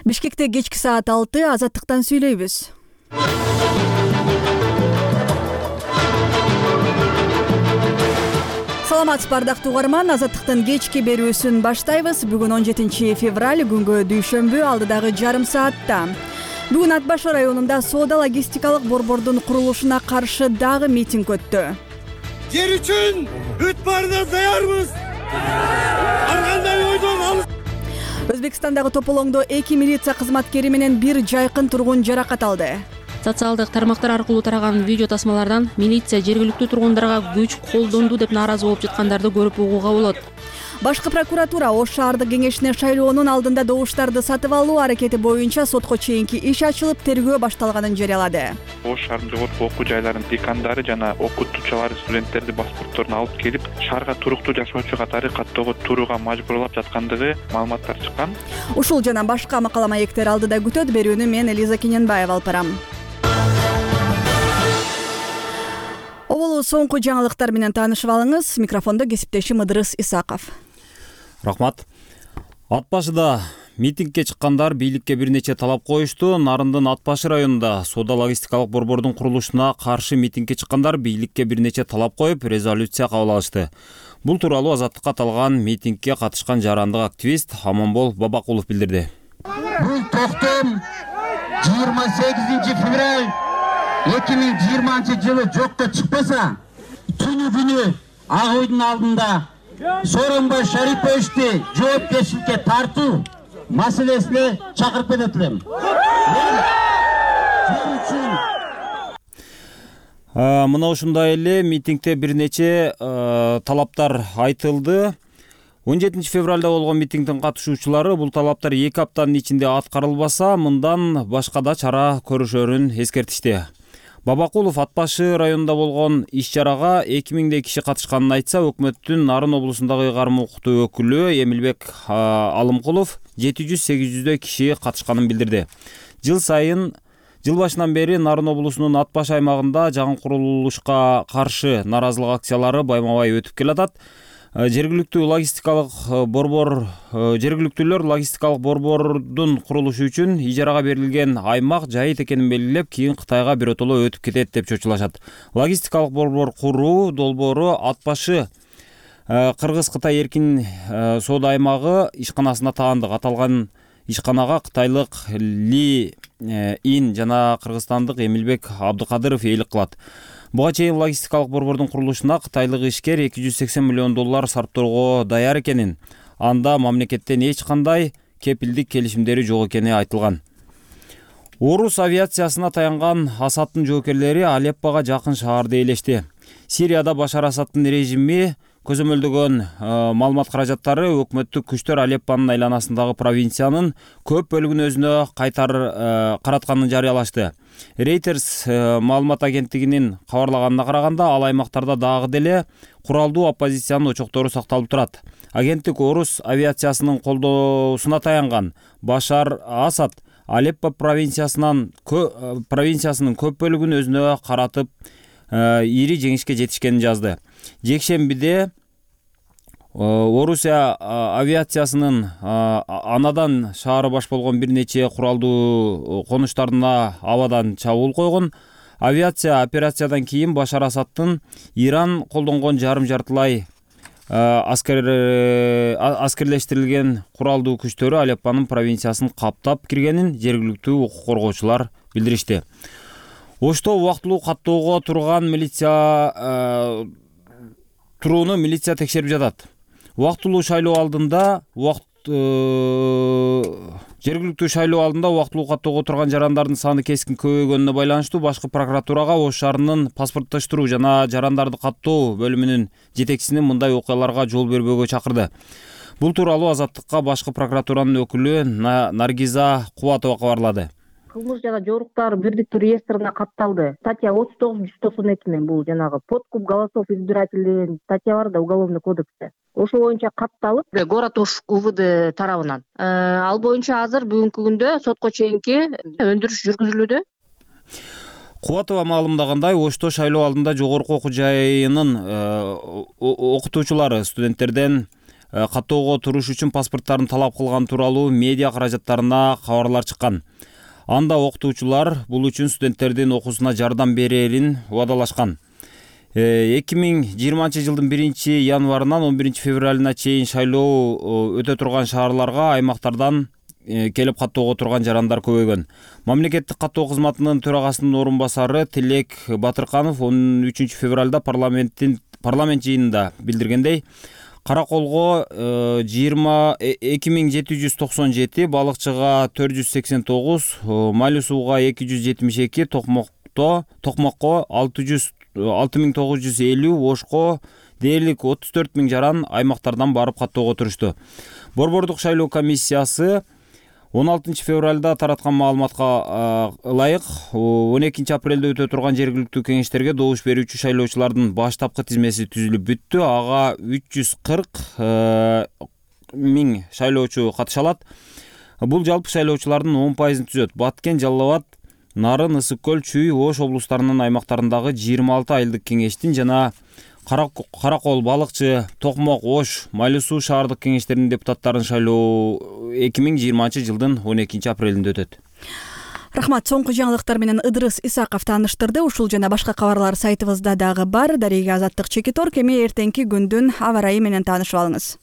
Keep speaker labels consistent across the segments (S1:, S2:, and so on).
S1: Бишкекте кечки саат 6 Азаттыктан сүйлөйбүз. Саламатсызбы ардактуу угарман, Азаттыктын кечки берүүсүн баштайбыз. Бүгүн 17 февраль, күнгө дүйшөмбү, алдыдагы жарым саатта. Бүгүн Ат Башы районунда соода логистикалык борбордун курулушуна каршы дагы митинг өттү.
S2: Жер үчүн бүт баарына даярбыз. Ар кандай ойдон алыс.
S1: Өзбекстандагы Тополоңдо 2 милиция кызматкери менен бир жайкын тургун жаракат алды.
S3: Социалдык тармактар аркылуу тараган видео тасмалардан милиция жергиликтүү тургундарга күч колдонду деп нааразы болуп жаткандарды көрүп угууга болот.
S1: Башкы прокуратура Ош шаардык кеңешине шайлоонун алдында добуштарды сатып алуу аракети боюнча сотко чейинки иш ачылып, тергөө башталганын жарыялады.
S4: Ош шаарынын жогорку окуу жайларынын декандары жана окутуучулары студенттерди паспортторун алып келип, шаарга туруктуу жашоочу катары каттоого турууга мажбурлап жаткандыгы маалыматтар чыккан.
S1: Ушул жана башка макала маектер алдыда күтөт. Берүүнү мен Элиза Кененбаева алып барам. Оболу соңку жаңылыктар менен таанышып алыңыз. Микрофондо кесиптешим Ыдырыс Исаков.
S5: Рахмат. Ат Башыда митингке чыккандар бийликке бир нече талап коюшту. Нарындын Ат Башы районунда соода логистикалык борбордун курулушуна каршы митингке чыккандар бийликке бир нече талап коюп, резолюция кабыл алышты. Бул тууралуу Азаттыкка аталган митингке катышкан жарандык активист Аманбол Бабакулов билдирди.
S6: Бул токтом 28 февраль 2020 жылы жокко чыкпаса, түнү ак үйдүн алдында Сооронбай Шариповичти жоопкерчиликке тартуу маселесине чакырып кетет элем.
S5: Мына ушундай эле митингде бир нече талаптар айтылды. 17 февралда болгон митингдин катышуучулары бул талаптар 2 аптанын ичинде аткарылбаса, мындан башка да чара көрүшөрүн эскертишти. Бабакулов Ат Башы районунда болгон иш-чарага 2000 киши катышканын айтса, өкмөттүн Нарын облусундагы карма укуктуу өкүлү Эмилбек Алымкулов 700-800 киши катышканын билдирди. Жыл башынан бери Нарын облусунун Ат Башы аймагында жаңы курулушка каршы нааразылык акциялары байма-бай өтүп келатат. Жергиликтүүлөр логистикалык борбордун курулушу үчүн ижарага берилген аймак жайыт экенин белгилеп, кийин Кытайга биротоло өтүп кетет деп чочулашат. Логистикалык борбор куруу долбоору Ат Башы Кыргыз-Кытай эркин соода аймагы ишканасына таандык. Аталган ишканага кытайлык Ли Ин жана кыргызстандык Эмилбек Абдыкадыров эйлик кылат. Буга чейин логистикалык борбордун курулушуна кытайлык ишкер $280 миллион сарптоого даяр экенин, анда мамлекеттен эч кандай кепилдик келишимдери жок экени айтылган. Орус авиациясына таянган Асадтын жоокерлери Алеппого жакын шаарды ээлешти. Сирияда Башар Асадтын режими көзөмөлдөгөн маалымат каражаттары өкмөттүк күчтөр Алеппонун айланасындагы провинциянын көп бөлүгүн өзүнө каратканын жарыялашты. Reuters маалымат агенттигинин кабарлаганына караганда, ал аймактарда дагы деле куралдуу оппозициянын очоктору сакталып турат. Агенттик Орус авиациясынын колдоосуна таянган Башар Асад Алеппо провинциясынын көп бөлүгүн өзүнө каратып, ири жеңишке жетишкенин жазды. Жекшембиде Орусия авиациясынын анадан шаары баш болгон бир нече куралдуу конуштарына абадан чабуул койгон. Авиация операциядан кийин Башар Асадтын Иран колдонгон жарым-жартылай аскерлештирилген куралдуу күчтөрү Алеппонун провинциясын каптап киргенин жергиликтүү укук коргоочулар билдиришти. Ошто убактылуу каттоого турган турууну милиция текшерип жатат. Убактылуу шайлоо алдында жергиликтүү шайлоо алдында убактылуу каттоого турган жарандардын саны кескин көбөйгөнүнө байланыштуу башкы прокуратурага Ош шаарынын паспорттоштуруу жана жарандарды каттоо бөлүмүнүн жетекчисини мындай окуяларга жол бербөөгө чакырды. Бул тууралуу Азаттыкка башкы прокуратуранын өкүлү Наргиза Кубатова кабарлады.
S7: Кылмыш жана жоруктар бирдиктүү реестрине катталды. Статья 39-192 бул жанагы подкуп голосов избирателей статья бар да уголовный кодексте. Ошол боюнча катталып, город Ош УВД тарабынан. Ал боюнча азыр бүгүнкү күндө сотко чейинки өндүрүш жүргүзүлүүдө.
S5: Кубатова маалымдагандай, Ошто шайлоо алдында жогорку окуу жайынын окутуучулары студенттерден каттоого туруш үчүн паспорттарын талап кылган тууралуу медиа каражаттарына кабарлар чыккан. Анда окутуучулар бул үчүн студенттердин окуусуна жардам берерин убадалашкан. 2020 жылдын 1-январынан 11-февралына чейин шайлоо өтө турган шаарларга аймактардан келип каттоого турган жарандар көбөйгөн. Мамлекеттик каттоо кызматынын төрагасынын орун басары Тилек Батырканов 13-февралда парламент жыйынында билдиргендей, Караколго 2797, балыкчыга 489, Майлуу сууга 272, Токмокко 6950, Ошко дээрлик 34 000 жаран аймактардан барып каттоого турушту. Борбордук шайлоо комиссиясы 16 февралда тараткан маалыматка ылайык 12 апрелде өтө турган жергиликтүү кеңештерге добуш берүүчү шайлоочулардын баштапкы тизмеси түзүлүп бүттү. Ага 340 000 шайлоочу катыша алат. Бул жалпы шайлоочулардын 10%-ын түзөт. Баткен, Жалал Абад, Нарын, Ысык Көл, Чүй, Ош облустарынын аймактарындагы 26 айылдык кеңештин жана Каракол, Балыкчы, Токмок, Ош, Майлуу суу шаардык кеңештеринин депутаттарын шайлоо 2020 жылдын 12 апрелинде өтөт.
S1: Рахмат. Соңку жаңылыктар менен Ыдырыс Исаков тааныштырды. Ушул жана башка кабарлар сайтыбызда дагы бар. Дарига Азаттык Чекитор, эми эртеңки күндүн аба ырайы менен таанышып алыңыз.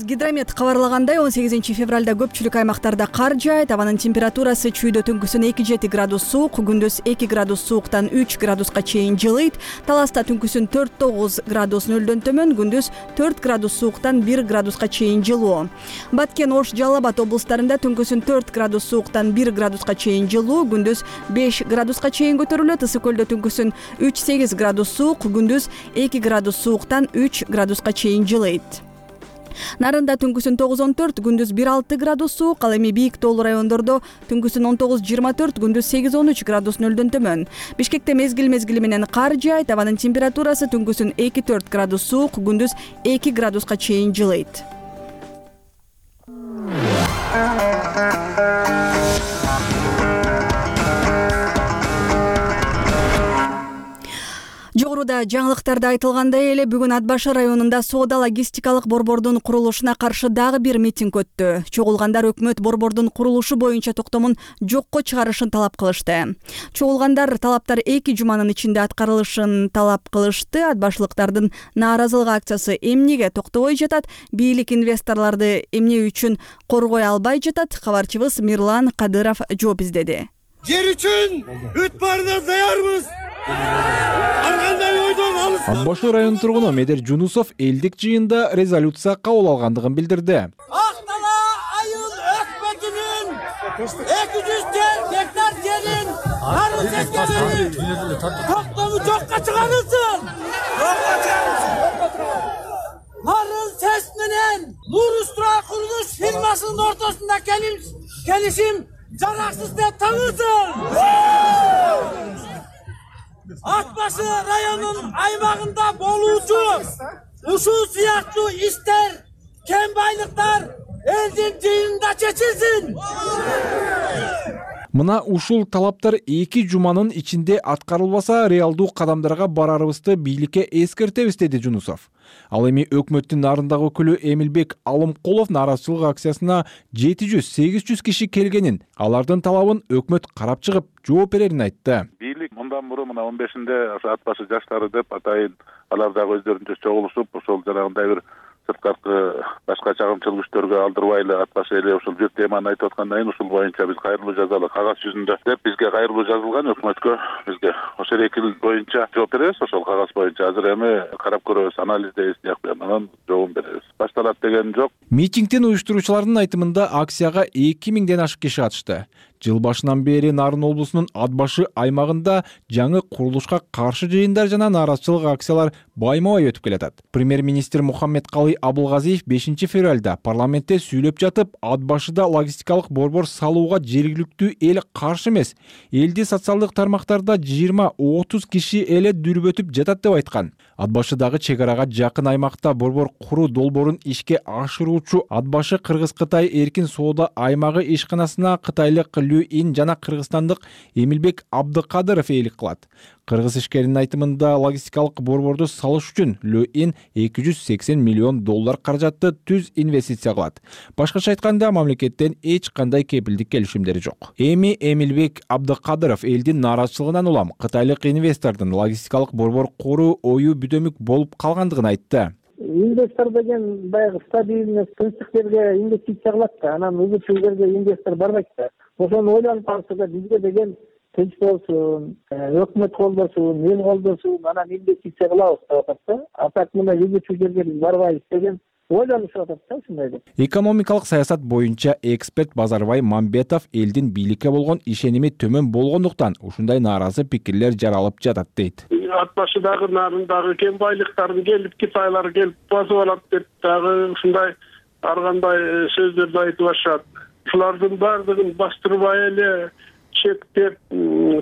S1: Гидромет кабарлагандай 18 февралда көпчүлүк аймактарда кар жаайт. Абанын температурасы чүйдө түнкүсүн 2-7 градус суук, күндүз 2 градус сууктан 3 градуска чейин жылыйт. Таласта түнкүсүн 4-9 градус нөлдөн төмөн, күндүз 4 градус сууктан 1 градуска чейин жылуу. Баткен, Ош, Жалал Абад облустарында түнкүсүн 4 градус сууктан 1 градуска чейин жылуу, күндүз 5 градуска чейин көтөрүлөт. Ысык Көлдө түнкүсүн 3-8 градус суук, күндүз 2 градус сууктан 3 градуска чейин жылыйт. Нарында түнкүсүн 9-14, күндүз 1-6 градус суук, ал эми бийик тоолуу райондордо түнкүсүн 19-24, күндүз 8-13 градус нөлдөн төмөн. Бишкекте мезгил менен кар жаайт. Абанын температурасы түнкүсүн 2-4 градус суук, күндүз 2 градуска чейин жылыйт. Жогоруда жаңылыктарда айтылгандай эле бүгүн Ат башы районунда соода логистикалык борбордун курулушуна каршы дагы бир митинг өттү. Чогулгандар өкмөт борбордун курулушу боюнча токтомун жокко чыгарышын талап кылышты. Чогулгандар талаптар 2 жуманын ичинде аткарылышын талап кылышты. Ат башылыктардын нааразылык акциясы эмнеге токтобой жатат? Бийлик инвесторлорду эмне үчүн коргой албай жатат? Кабарчыбыз Мирлан Кадыров жооп издеди.
S2: Жер үчүн үт барына даярбыз.
S8: Ат башы район тургуну Медер Жунусов элдик жыйында резолюция кабыл алгандыгын билдирди.
S2: Ак Дала айыл өкмөтүнүн 200 гектар жерин арыз сескенин токтому жокко чыгарылсын. Арыз сес менен Нурустра курулуш фирмасынын ортосунда келишим жараксыз деп танылсын. Ат башы районунун аймагында болуучу ушул сыяктуу иштер, кем байлыктар элдин жыйынында чечилсин.
S8: Мына ушул талаптар 2 жуманын ичинде аткарылбаса, реалдуу кадамдарга барарыбызды бийликке эскертебиз, деди Жунусов. Ал эми өкмөттүн нарындагы өкүлү Эмилбек Алымкулов нааразычылык акциясына 700-800 киши келгенин, алардын талабын өкмөт карап чыгып жооп берерин айтты.
S9: Бийлик мындан мурун мына 15-inde ат башы жаштары деп атайын, алар дагы өздөрүнчө чогулушуп, ошол жанагындай бир сырткаркы башка чагымчыл күчтөргө алдырбайлы ат башы эле ушул бир теманы айтып аткандан кийин ушул боюнча биз кайрылуу жазалы кагаз жүзүндө деп бизге кайрылуу жазылган, өкмөткө бизге ошол 2 эл боюнча жооп беребиз, ошол кагаз боюнча азыр эми карап көрөбүз, анализдейбиз, анан жообун беребиз. Башталат деген жок.
S8: Митингдин уюштуруучулардын айтымында акцияга 2000ден ашык киши катышты. Жыл башынан бери Нарын облусунун Ат башы аймагында жаңы курулушка каршы жыйындар жана нааразычылык акциялар байма-бай өтүп келатат. Премьер-министр Мухаммедкалый Абылгазиев 5 февралда парламентте сүйлөп жатып, Ат башыда логистикалык борбор салууга жергиликтүү эл каршы эмес. Элди социалдык тармактарда 20-30 киши эле дүрбөтүп жатат деп айткан. Ат башыдагы чек арага жакын аймакта борбор куруу долбоорун ишке ашыруучу Ат башы Кыргыз-Кытай эркин соода аймагы ишканасына кытайлык Лю Ин жана кыргызстандык Эмилбек Абдыкадыров ээлик кылат. Кыргыз ишкеринин айтымында логистикалык борборду салыш үчүн ЛЮИН $280 миллион каражатты түз инвестиция кылат. Башкача айтканда, мамлекеттен эч кандай кепилдик келишимдери жок. Эми Эмилбек Абдыкадыров элдин нааразычылыгынан улам кытайлык инвестордун логистикалык борбор куруу ою бүдөмүк болуп калгандыгын айтты.
S10: Инвестор деген баягы стабильный тынчтыктерге инвестиция кылат да, анан өзүчө жерге инвестор барбайт да. Ошону ойлонуп калса да бизге деген тынч болсун, өкмөт колдосун, эл колдосун, анан инвестиция кылабыз деп атат да. А так мына өзүчө жерге биз барбайбыз деген ойлонушуп атат да ушундай деп.
S8: Экономикалык саясат боюнча эксперт Базарбай Мамбетов элдин бийликке болгон ишеними төмөн болгондуктан ушундай нааразы пикирлер жаралып жатат дейт.
S11: Ат башыдагы нарындагы кен байлыктарын келип Китайлар келип басып алат деп дагы ушундай ар кандай сөздөрдү айтып атышат. Ушулардын баардыгын бастырбай эле чектеп,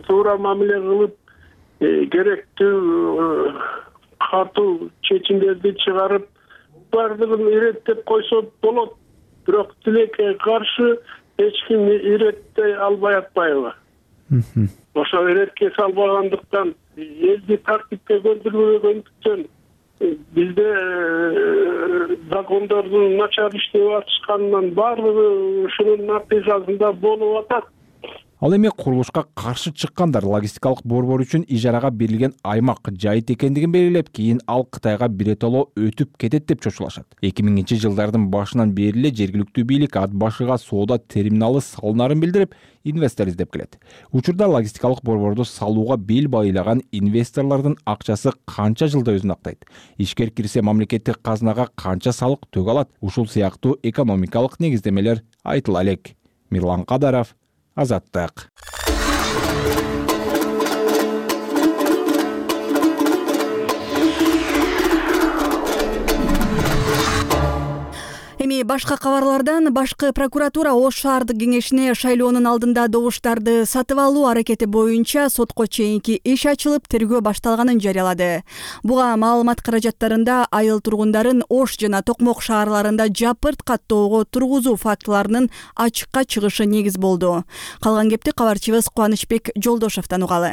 S11: туура мамиле кылып, керектүү катуу чечимдерди чыгарып, баардыгын иреттеп койсо болот. Бирок тилекке каршы эч ким иреттей албай атпайбы? Ошо иретке салбагандыктан, элди тартипке көндүрбөгөндүктөн бизде закондордун начар иштеп атышканынан баардыгы ушунун натыйжасында болуп атат.
S8: Ал эми курулушка каршы чыккандар логистикалык борбор үчүн ижарага берилген аймак жайыт экендигин белгилеп, кийин ал Кытайга биротоло өтүп кетет деп чочулашат. 2000-жылдардын башынан бери эле жергиликтүү бийлик ат башыга соода терминалы салынарын билдирип, инвестор издеп келет. Учурда логистикалык борборду салууга бел байлаган инвесторлордун акчасы канча жылда өзүн актайт? Ишкер кирсе мамлекеттик казынага канча салык төгө алат? Ушул сыяктуу экономикалык негиздемелер айтыла элек. Мирлан Кадаров, Азаттык.
S1: Эми башка кабарлардан башкы прокуратура Ош шаардык кеңешине шайлоонун алдында добуштарды сатып алуу аракети боюнча сотко чейинки иш ачылып, тергөө башталганын жарыялады. Буга маалымат каражаттарында айыл тургундарын Ош жана Токмок шаарларында жапырт каттоого тургузуу фактыларынын ачыкка чыгышы негиз болду. Калган кепти кабарчыбыз Кубанычбек Жолдошовдон угалы.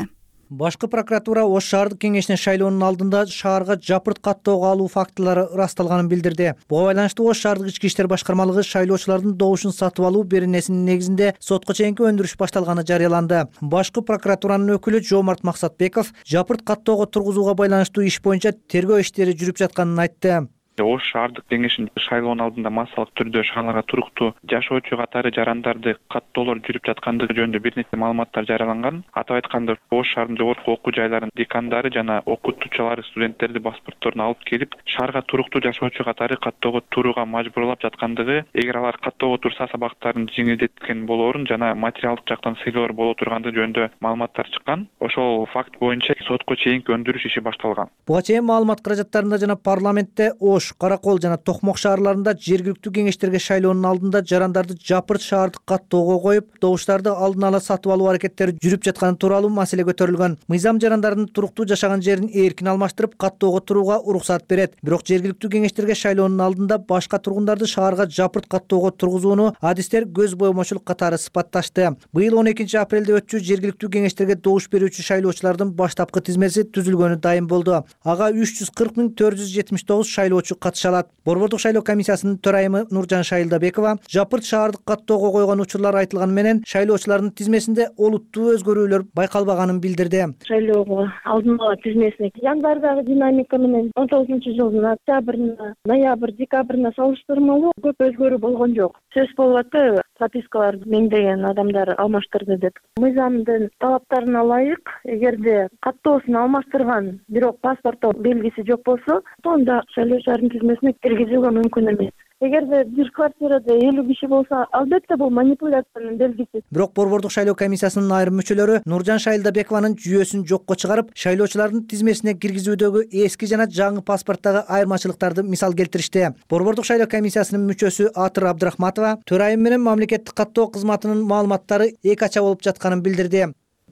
S12: Башкы прокуратура Ош шаардык кеңешине шайлоонун алдында шаарга жапырт каттоого алуу фактылары ырасталганын билдирди. Буга байланыштуу Ош шаардык ички иштер башкармалыгы шайлоочулардын добушун сатып алуу беренесинин негизинде сотко чейинки өндүрүш башталганы жарыяланды. Башкы прокуратуранын өкүлү Жомарт Максатбеков жапырт каттоого тургузууга байланыштуу иш боюнча тергөө иштери жүрүп жатканын айтты.
S4: Ош шаардык кеңешинин шайлоонун алдында массалык түрдө шаарларга туруктуу жашоочу катары жарандарды каттоолор жүрүп жаткандыгы жөнүндө бир нече маалыматтар жарыяланган. Атап айтканда, Ош шаарынын жогорку окуу жайларынын декандары жана окутуучулары студенттерди паспортторун алып келип, шаарга туруктуу жашоочу катары каттоого турууга мажбурлап жаткандыгы, эгер алар каттоого турса сабактарын жеңилдеткен болоорун жана материалдык жактан сыйлоолор боло тургандыгы жөнүндө маалыматтар чыккан. Ошол факт боюнча сотко чейинки өндүрүш иши башталган.
S12: Буга чейин маалымат каражаттарында жана парламентте Ош, Каракол жана Токмок шаарларында жергиликтүү кеңештерге шайлоонун алдында жарандарды жапырт шаардык каттоого коюп, добуштарды алдын ала сатып алуу аракеттери жүрүп жатканы тууралуу маселе көтөрүлгөн. Мыйзам жарандардын туруктуу жашаган жерин эркин алмаштырып, каттоого турууга уруксат берет. Бирок жергиликтүү кеңештерге шайлоонун алдында башка тургундарды шаарга жапырт каттоого тургузууну адистер көз бойомочулук катары сыпатташты. Быйыл 12 апрелде өтчү жергиликтүү кеңештерге добуш берүүчү шайлоочулардын баштапкы тизмеси түзүлгөнү дайым болду. Ага 340.479 шайлоочу катыша алат. Борбордук шайлоо комиссиясынын төрайымы Нуржан Шайылдабекова жапырт шаардык каттоого койгон учурлар айтылганы менен шайлоочулардын тизмесинде олуттуу өзгөрүүлөр байкалбаганын билдирди.
S13: Шайлоого алдын ала тизмесине январдагы динамика менен 19-жылдын октябрына, ноябрь, декабрына салыштырмалуу көп өзгөрүү болгон жок. Сөз болуп атпайбы? Пропискаларды меңдеген адамдар алмаштырды деп. Мыйзамдын талаптарына ылайык, эгерде каттоосун алмаштырган, бирок паспортто белгиси жок болсо, анда шайлоочулардын тизмесине киргизүүгө мүмкүн эмес. Эгерде бир квартирада 50 киши болсо, албетте бул манипуляциянын белгиси.
S12: Бирок борбордук шайлоо комиссиясынын айрым мүчөлөрү Нуржан Шайылдабекованын жүйөсүн жокко чыгарып, шайлоочулардын тизмесине киргизүүдөгү эски жана жаңы паспорттагы айырмачылыктарды мисал келтиришти. Борбордук шайлоо комиссиясынын мүчөсү Атыр Абдрахматова төрайым менен мамлекеттик каттоо кызматынын маалыматтары эки ача болуп жатканын билдирди.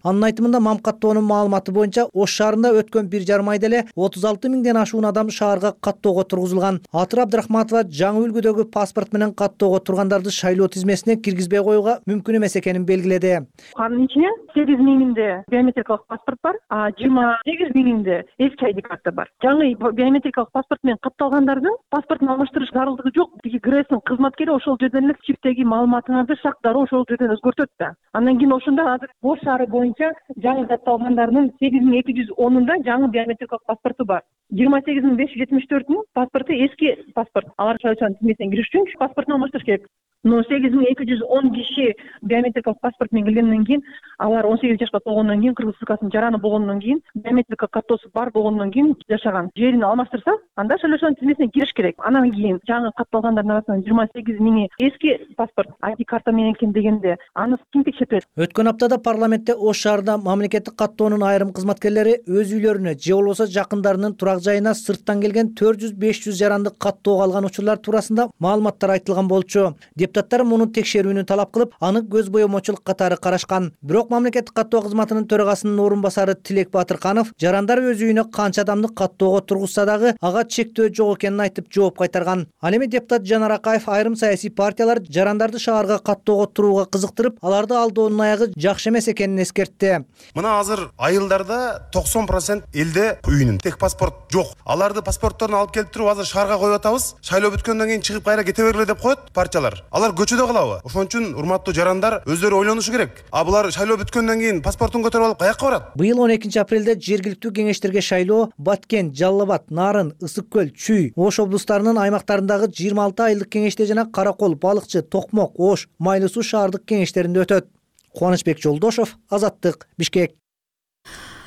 S12: Анын айтымында Мам каттоонун маалыматы боюнча Ош шаарында өткөн 1,5 айда эле 36 миңден ашуун адам шаарга каттоого тургузулган. Атыр Абдрахматова жаңы үлгүдөгү паспорт менен каттоого тургандарды шайлоо тизмесине киргизбей коюуга мүмкүн эмес экенин белгиледи.
S14: Анын ичинен 8 миңинде биометрикалык паспорт бар, 28 миңинде эски ID карта бар. Жаңы биометрикалык паспорт менен катталгандардын паспортун алмаштырыш зарылдыгы жок. Тиги ГРЭСтин кызматкери ошол жерден эле чиптеги маалыматыңарды шак дароо ошол жерден өзгөртөт да. Андан кийин ошондо азыр Ош шаары боюнча жаңы катталгандардын 8210-унда жаңы биометрикалык паспорту бар. 28574-нүн паспорту эски паспорт. Алар шайлоочунун тизмесине кириш үчүн паспортун алмаштырыш керек. Но 8210 киши биометрикалык паспорт менен келгенден кийин, алар 18 жашка толгондон кийин, Кыргыз Республикасынын жараны болгондон кийин, биометрика картосу бар болгондон кийин жашаган. Жерин алмаштырса, анда шайлоочунун тизмесине кириш керек. Анан кийин жаңы катталгандардын арасынан 28 миңи эски паспорт, ID карта менен экен дегенде, аны ким текшертет?
S12: Өткөн аптада парламентте Ош шаарында мамлекеттик каттоонун айрым кызматкерлери өз үйлөрүнө же болбосо жакындарынын турак жайына сырттан келген 400-500 жаранды каттоого алган учурлар туурасында маалыматтар айтылган болчу. Депутаттар муну текшерүүнү талап кылып, аны көз боемочулук катары карашкан. Бирок мамлекеттик каттоо кызматынын төрагасынын орун басары Тилек Батырканов жарандар өз үйүнө канча адамды каттоого тургузса дагы ага чектөө жок экенин айтып жооп кайтарган. Ал эми депутат Жанар Акаев айрым саясий партиялар жарандарды шаарга каттоого турууга кызыктырып, аларды алдоонун аягы жакшы эмес экенин эскертти.
S15: Мына азыр айылдарда 90% элде үйүнүн тек паспорт жок. Аларды паспортторун алып келип туруп азыр шаарга коюп атабыз. Шайлоо бүткөндөн кийин чыгып кайра кете бергиле деп коет партиялар. Алар көчөдө калабы? Ошон үчүн урматтуу жарандар өздөрү ойлонушу керек. Булар шайлоо бүткөндөн кийин паспортун көтөрүп алып каяка барат?
S12: Быйыл 12 апрелде жергиликтүү кеңештерге шайлоо Баткен, Жалал Абад, Нарын, Ысык көл, Чүй, Ош облустарынын аймактарындагы 26 айылдык кеңеште жана Каракол, Балыкчы, Токмок, Ош, Майлы суу шаардык кеңештеринде өтөт. Кубанычбек Жолдошов, Азаттык, Бишкек.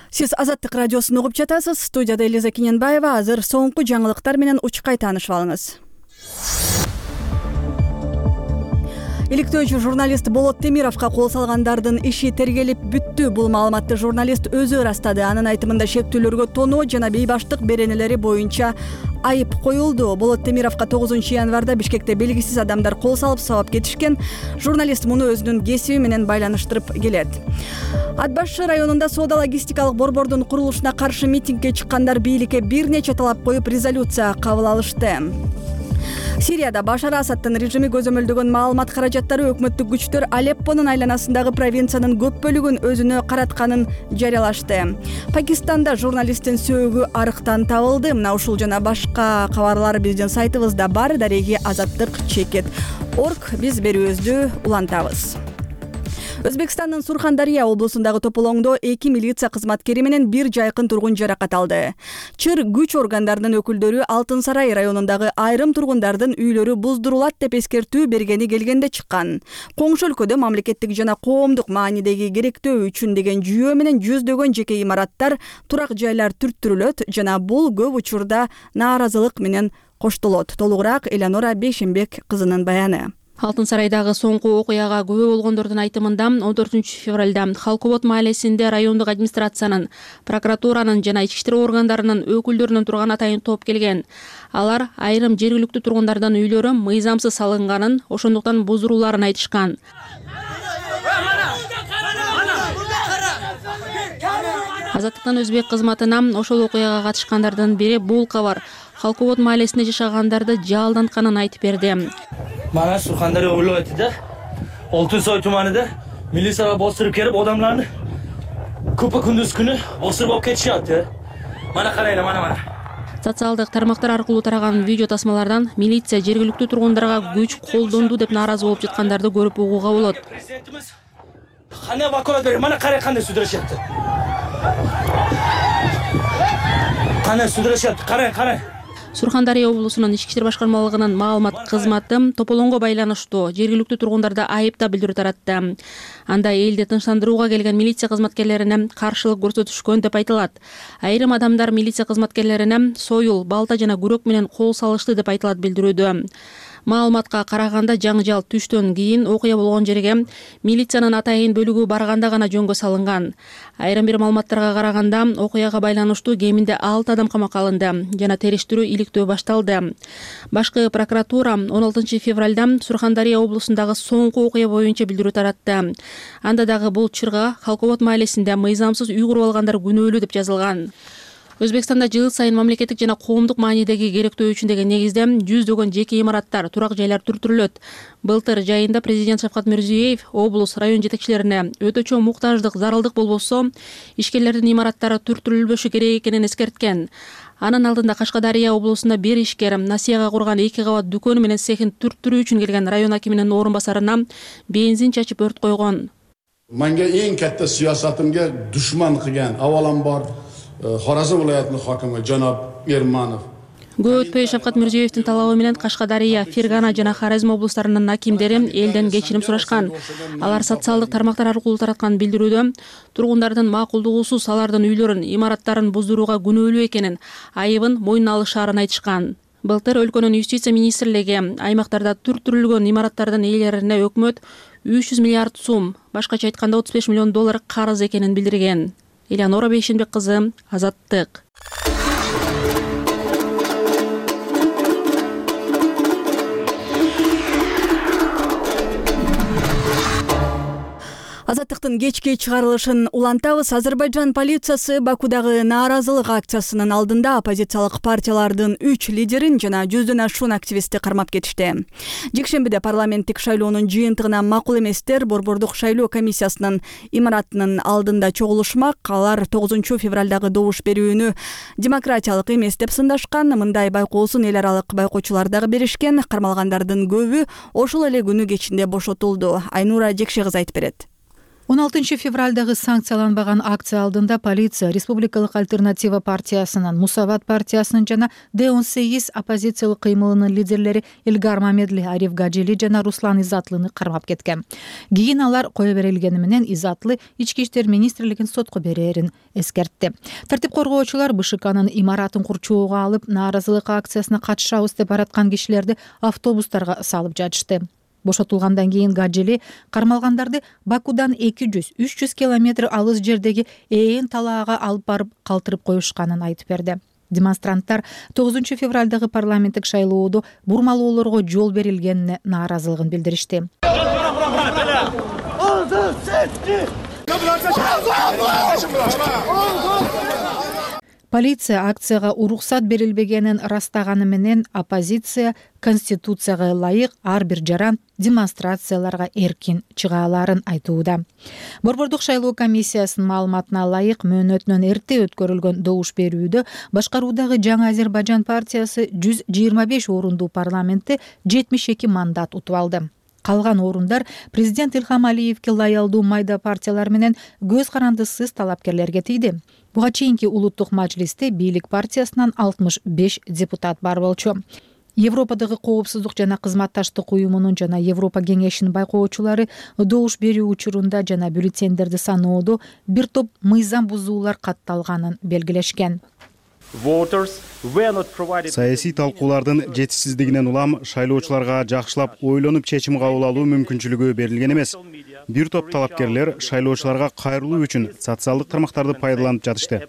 S1: Сиз Азаттык радиосун угуп жатасыз. Студияда Элиза Кененбаева. Азыр соңку жаңылыктар менен учкай таанышып алыңыз. Иликтөөчү журналист Болот Темировго кол салгандардын иши тергелип бүттү. Бул маалыматты журналист өзү ырастады. Анын айтымында шектүүлөргө тоноо жана бейбаштык беренелери боюнча айып коюлду. Болот Темировго 9 январда Бишкекте белгисиз адамдар кол салып сабап кетишкен. Журналист муну өзүнүн кесиби менен байланыштырып келет. Ат башы районунда соода-логистикалык борбордун курулушуна каршы митингге чыккандар бийликке бир нече талап коюп резолюция кабыл алышты. Сирияда Башар Асадтын режими көзөмөлдөгөн маалымат каражаттары өкмөттүк күчтөр Алеппонун айланасындагы провинциянын көп бөлүгүн өзүнө каратканын жарыялашты. Пакистанда журналисттин сөөгү арыктан табылды. Мына ушул жана башка кабарлар биздин сайтыбызда бар. Дареги Азаттык.org. Биз берүүбүздү улантабыз. Өзбекстандын Сурхандария облусундагы Тополоңдо 2 милиция кызматкери менен бир жайкын тургун жаракат алды. Чыр күч органдарынын өкүлдөрү Алтын Сарай районундагы айрым тургундардын үйлөрү буздурулат деп эскертүү бергени келгенде чыккан. Коңшу өлкөдө мамлекеттик жана коомдук маанидеги керектөө үчүн деген жүйө менен жүздөгөн жеке имараттар, турак жайлар түрттүрүлөт жана бул көп учурда нааразылык менен коштолот. Толугураак Элеонора Бейшенбек кызынын баяны.
S3: Алтын Сарайдагы соңку окуяга күбө болгондордун айтымында 14 февралда Халкобот маалесинде райондук администрациянын, прокуратуранын жана ички иштер органдарынын өкүлдөрүнүн турган атайын топ келген. Алар айрым жергиликтүү тургундардын үйлөрү мыйзамсыз салынганын, ошондуктан буздурууларын айтышкан. Азаттыктан өзбек кызматына ошол окуяга катышкандардын бири бул кабар Халкобот маалесинде жашагандарды жалдантканын айтып берди.
S16: Mana Surxondaryo viloyatida Oltinsoy tumanida militsiyalar bostirib kelib odamlarni ko'pa kunduz kuni bostirib olib ketishyapti. Mana qaranglar, mana.
S3: Социалдык тармактар аркылуу тараган видео тасмалардан милиция жергиликтүү тургундарга күч колдонду деп нааразы болуп жаткандарды көрүп угууга болот.
S16: Президентimiz qanday vakolat berdi? Mana qarang qanday sudrashyapti. Qanday sudrashyapti? Qarang.
S3: Сурхандария облусунун ички иштер башкармалыгынын маалымат кызматы Тополоңго байланыштуу жергиликтүү тургундарда айыпта билдирүү таратты. Анда элди тынчтандырууга келген милиция кызматкерлерине каршылык көрсөтүшкөн деп айтылат. Айрым адамдар милиция кызматкерлерине союл, балта жана күрөк менен кол салышты деп айтылат билдирүүдө. Маалыматка караганда жаңжал түштөн кийин окуя болгон жерге милициянын атайын бөлүгү барганда гана жөнгө салынган. Айрым бир маалыматтарга караганда окуяга байланыштуу кеминде 6 адам камакка алынды жана териштирүү иликтөө башталды. Башкы прокуратура 16 февралда Сурхандария облусундагы соңку окуя боюнча билдирүү таратты. Анда дагы бул чырга Халкобот маалесинде мыйзамсыз үй куруп алгандар күнөөлүү деп жазылган. Өзбекстанда жыл сайын мамлекеттик жана коомдук маанидеги керектөө үчүн деген негизде жүздөгөн жеке имараттар, турак жайлар түртүрүлөт. Былтыр жайында президент Шавкат Мирзиёев облус, район жетекчилерине өтө чоң муктаждык, зарылдык болбосо ишкерлердин имараттары түртүрүлбөшү керек экенин эскерткен. Анын алдында Кашкадария облусунда бир ишкер Насияга курган 2 кабат дүкөнү менен цехин түртүрүү үчүн келген район акиминин орун басарына бензин чачып өрт койгон.
S17: Menga eng katta siyosatimga dushman qilgan avvalambor Xorazm viloyatining hokimi janob Ermanov.
S3: Көп өтпөй Шавкат Мирзиёевдин талабы менен Кашкадария, Фергана жана Хорезм облустарынын акимдери элден кечирим сурашкан. Алар социалдык тармактар аркылуу тараткан билдирүүдө тургундардын макулдугусуз алардын үйлөрүн, имараттарын буздурууга күнөөлүү экенин, айыбын мойнуна алышаарын айтышкан. Былтыр өлкөнүн юстиция министрлиги аймактарда түртүрүлгөн имараттардын ээлерине өкмөт 300 миллиард сум, башкача айтканда 35 миллион доллар карыз экенин билдирген. Элеонора Бейшенбек кызы, Азаттык.
S1: Азаттыктын кечки чыгарылышын улантабыз. Азербайжан полициясы Бакудагы нааразылык акциясынын алдында оппозициялык партиялардын 3 лидерин жана 100дөн ашуун активистти кармап кетишти. Жекшембиде парламенттик шайлоонун жыйынтыгына макул эместер Борбордук шайлоо комиссиясынын имаратынын алдында чогулушмак. Алар 9 февралдагы добуш берүүнү демократиялык эмес деп сындашкан. Мындай байкоосун эл аралык байкоочулар дагы беришкен. Кармалгандардын көбү ошол эле күнү кечинде бошотулду. Айнура Жекше кызы айтып берет.
S18: 16 февралдагы санкцияланбаган акция алдында полиция Республикалык альтернатива партиясынын, Мусават партиясынын жана Д-18 оппозициялык кыймылынын лидерлери Элгар Мамедли, Ариф Гаджили жана Руслан Изатлыны кармап кеткен. Кийин алар кое берилгени менен Изатлы ички иштер министрлигин сотко берерин эскертти. Тартип коргоочулар БШКнын имаратын курчоого алып, нааразылык акциясына катышабыз деп бараткан кишилерди автобустарга салып жатышты. Бошотулгандан кийин Гаджили кармалгандарды Бакудан 200-300 километр алыс жердеги Ээн талаага алып барып калтырып коюшканын айтып берди. Демонстранттар 9 февралдагы парламенттик шайлоодо бурмалоолорго жол берилгенине нааразылыгын билдиришти. Полиция акцияга уруксат берилбегенин ырастаганы менен оппозиция Конституцияга ылайык ар бир жаран демонстрацияларга эркин чыга аларын айтууда. Борбордук шайлоо комиссиясынын маалыматына ылайык мөөнөтүнөн эрте өткөрүлгөн добуш берүүдө башкаруудагы Жаңы Азербайжан партиясы 125 орундуу парламентте 72 мандат утуп алды. Калган орундар президент Илхам Алиевке лаялдуу майда партиялар менен көз карандысыз талапкерлерге тийди. Буга чейинки улуттук мажлисте бийлик партиясынан 65 депутат бар болчу. Европадагы коопсуздук жана кызматташтык уюмунун жана Европа кеңешинин байкоочулары добуш берүү учурунда жана бюллетендерди саноодо бир топ мыйзам бузуулар катталганын белгилешкен.
S19: Саясий талкуулардын жетишсиздигинен улам шайлоочуларга жакшылап ойлонуп чечим кабыл алуу мүмкүнчүлүгү берилген эмес. Бир топ талапкерлер шайлоочуларга кайрылуу үчүн социалдык тармактарды пайдаланып жатышты.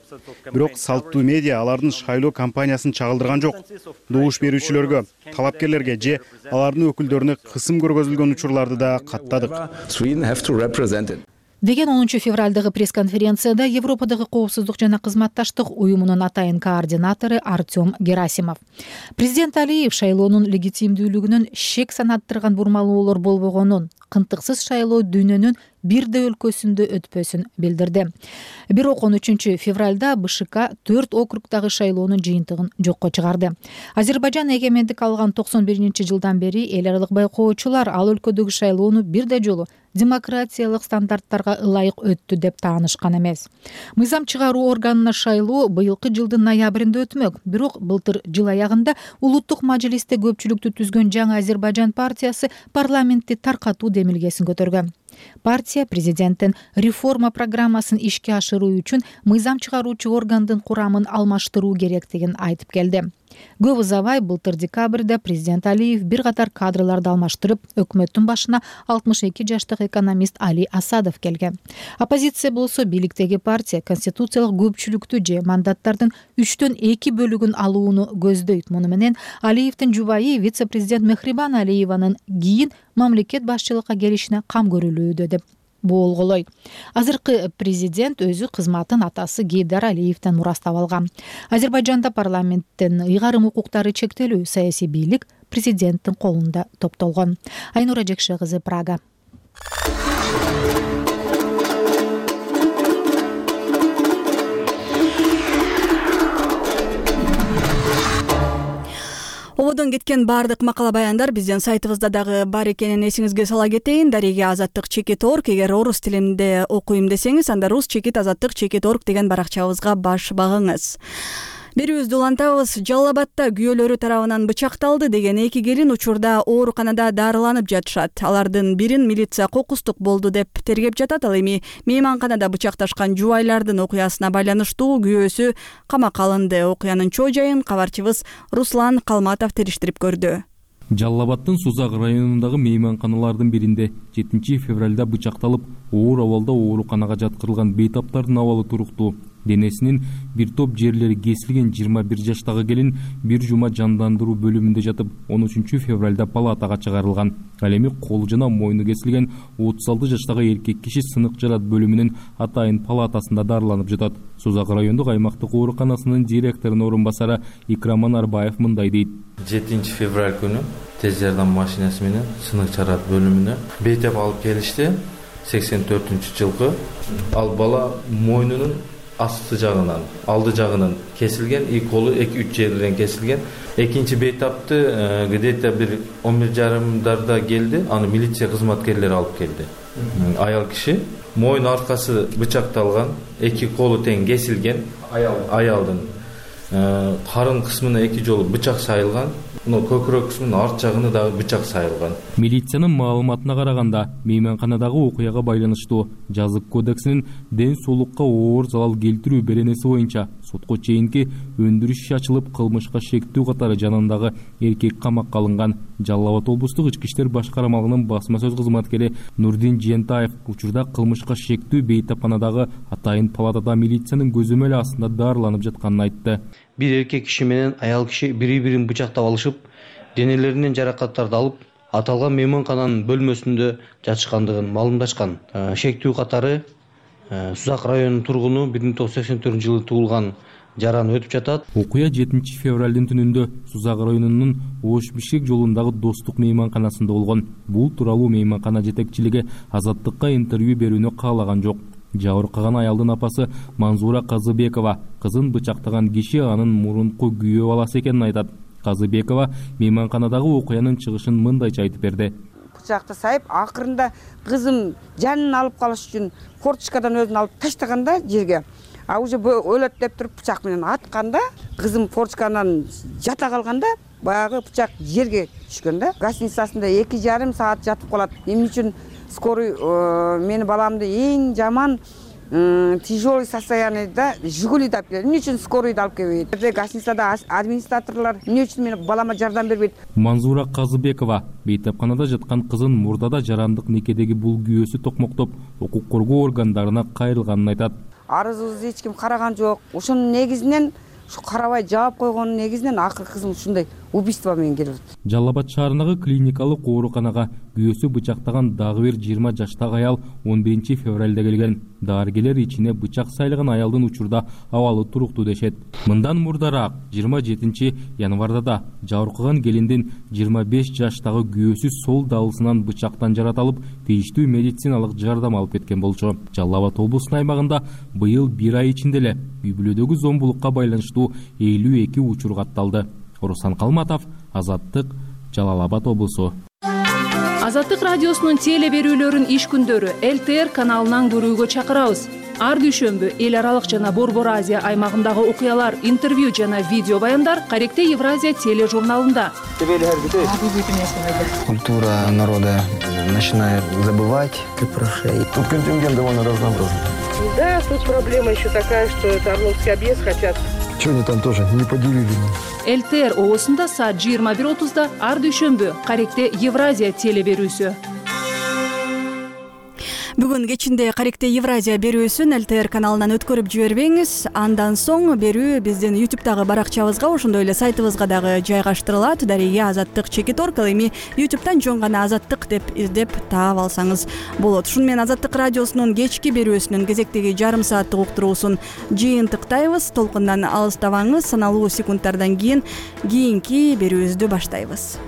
S19: Бирок салттуу медиа алардын шайлоо кампаниясын чагылдырган жок. Добуш берүүчүлөргө, талапкерлерге же алардын өкүлдөрүнө кысым көргөзүлгөн учурларды да каттадык.
S18: Деген 10 февралдагы пресс-конференцияда Европадагы коопсуздук жана кызматташтык уюмунун атайын координатору Артем Герасимов. Президент Алиев шайлоонун легитимдүүлүгүнөн шек санаттырган бурмалоолор болбогонун, кынтыксыз шайлоо дүйнөнүн бирде өлкөсүндө өтпөсүн билдирди. Бирок 13 февралда БШК 4 округдагы шайлоонун жыйынтыгын жокко чыгарды. Азербайжан эгемендик алган 91-жылдан бери эл аралык байкоочулар ал өлкөдөгү шайлоону бирде жолу демократиялык стандарттарга ылайык өттү деп таанышкан эмес. Мыйзам чыгаруу органына шайлоо быйылкы жылдын ноябрында өтмөк. Бирок былтыр жыл аягында улуттук мажлисте көпчүлүктү түзгөн Жаңы Азербайжан партиясы парламентти таркатуу демилгесин көтөргөн. Партия президенттин реформа программасын ишке ашыруу үчүн мыйзам чыгаруучу органдын курамын алмаштыруу керектигин айтып келди. Көп узабай былтыр декабрда президент Алиев бир катар кадрларды алмаштырып, өкмөттүн башына 62 жаштагы экономист Али Асадов келген. Оппозиция болсо бийликтеги партия конституциялык көпчүлүктү же мандаттардын 3/2 бөлүгүн алууну көздөйт. Муну менен Алиевдин жубайы вице-президент Мехрибан Алиеванын кийин мамлекет башчылыкка келишине кам көрүлүүдө деп болголойт. Азыркы президент өзү кызматын атасы Гейдар Алиевден мурастап алган. Азербайжанда парламенттин ыйгарым укуктары чектелүү, саясий бийлик президенттин колунда топтолгон. Айнура Жекше кызы, Прага.
S1: Ободон кеткен баардык макала баяндар биздин сайтыбызда дагы бар экенин эсиңизге сала кетейин. Дареге Азаттык.org. Эгер орус тилинде окуйм десеңиз, анда rus-azattik.org деген баракчабызга баш багыңыз. Берүүбүздү улантабыз. Жалал Абадда күйөөлөрү тарабынан бычакталды деген 2 келин учурда ооруканада дарыланып жатышат. Алардын бирин милиция кокустук болду деп тергеп жатат. Ал эми мейманканада бычакташкан жубайлардын окуясына байланыштуу күйөөсү камакка алынды. Окуянын чоо жайын кабарчыбыз Руслан Калматов териштирип көрдү.
S20: Жалал Абаддын Сузак районундагы мейманканалардын биринде 7 февралда бычакталып, оор абалда ооруканага жаткырылган бейтаптардын абалы туруктуу. Денесинин бир топ жерлери кесилген 21 жаштагы келин бир жума жандандыруу бөлүмүндө жатып, 13 февралда палатага чыгарылган. Ал эми колу жана мойну кесилген 36 жаштагы эркек киши сынык жарат бөлүмүнүн атайын палатасында дарыланып жатат. Сузак райондук аймактык ооруканасынын директорунун орун басары Икраман Арбаев мындай дейт.
S21: 7 февраль күнү тез жардам машинасы менен сынык жарат бөлүмүнө бейтап алып келишти. 84-жылкы. Ал бала мойнунун асты жагынан, алды жагынан кесилген, колу 2-3 жерден кесилген. Экинчи бейтапты где-то бир 11:30 келди. Аны милиция кызматкерлери алып келди. Аял киши мойын аркасы бычакталган, 2 колу тең кесилген. Аялдын карын кысмына 2 жолу бычак сайылган. Көкүрөк кысмынын арт жагына дагы бычак сайылган.
S20: Милициянын маалыматына караганда, мейманканадагы окуяга байланыштуу жазык кодексинин ден соолукка оор залал келтирүү беренеси боюнча сотко чейинки өндүрүш иши ачылып, кылмышка шектүү катары жанындагы эркек камакка алынган. Жалал Абад облустук ички иштер башкармалыгынын басма сөз кызматкери Нурдин Жентаев учурда кылмышка шектүү бейтапканадагы атайын палатада милициянын көзөмөлү астында дарыланып жатканын айтты.
S22: Бир эркек киши менен аял киши бири-бирин бычактап алышып, денелеринен жаракаттарды алып, аталган мейманкананын бөлмөсүндө жатышкандыгын маалымдашкан. Шектүү катары Сузак районунун тургуну 1984-жылы туулган жараны өтүп жатат.
S20: Окуя 7 февралдын түнүндө Сузак районунун Ош-Бишкек жолундагы Достук мейманканасында болгон. Бул тууралуу мейманкана жетекчилиги Азаттыкка интервью берүүнү каалаган жок. Жабыркаган аялдын апасы Манзура Казыбекова кызын бычактаган киши анын мурунку күйөө баласы экенин айтат. Казыбекова мейманканадагы окуянын чыгышын мындайча айтып берди.
S23: Бычакты сайып, акырында кызым жанын алып калыш үчүн форточкадан өзүн алып таштаганда жерге, а уже өлөт деп туруп бычак менен атканда, кызым форточкадан жата калганда, баягы бычак жерге түшкөн да. Гостиницасында 2,5 саат жатып калат. Эмне үчүн скорый мени баламды эң жаман тяжелый состояниеда Жигулиде алып келди. Эмне үчүн скорыйды алып келбейт? Гостиницада администраторлор эмне үчүн мени балама жардам бербейт?
S20: Манзура Казыбекова бейтапканада жаткан кызын мурдада жарандык некедеги бул күйөөсү токмоктоп, укук коргоо органдарына кайрылганын айтат.
S23: Арызыбызды эч ким караган жок. Ошонун негизинен ушу карабай жаап койгонун негизинен акыры кызым ушундай убийство менен келип атат.
S20: Жалал Абад шаарындагы клиникалык ооруканага күйөөсү бычактаган дагы бир 20 жаштагы аял 11 февралда келген. Дарыгерлер ичине бычак сайлаган аялдын учурда абалы туруктуу дешет. Мындан мурдараак 27 январда да жабыркаган келиндин 25 жаштагы күйөөсү сол далысынан бычактан жаратылып, тийиштүү медициналык жардам алып кеткен болчу. Жалал Абад облусунун аймагында быйыл 1 ай ичинде эле үй бүлөдөгү зомбулукка байланыштуу 52 учур катталды. Руслан Калматов, Азаттык, Жалал Абад облусу.
S24: Азаттык радиосунун теле берүүлөрүн иш күндөрү ЛТР каналынан көрүүгө чакырабыз. Ар дүйшөмбү эл аралык жана Борбор Азия аймагындагы окуялар, интервью жана видео баяндар Каректе Евразия тележурналында.
S25: Культура народа начинает забывать про шеи. Тут контингент довольно разнообразный.
S26: Да, тут проблема еще такая, что это Орловский объезд хотят
S25: Чего они там тоже не поделили?
S24: ЛТР оосунда саат 21:30 ар дүйшөмбү Каректе Евразия теле берүүсү.
S1: Бүгүн кечинде Каректе Евразия берүүсүн ЛТР каналынан өткөрүп жибербеңиз. Андан соң берүү биздин YouTube'дагы баракчабызга, ошондой эле сайтыбызга дагы жайгаштырылат. Дария Азаттык Чекитор эми YouTube'дан жөн гана Азаттык деп издеп таап алсаңыз болот. Ушуну менен Азаттык радиосунун кечки берүүсүнүн кезектеги жарым сааттык уктуруусун жыйынтыктайбыз. Толкундан алыстабаңыз. Саналуу секундтардан кийинки берүүбүздү баштайбыз.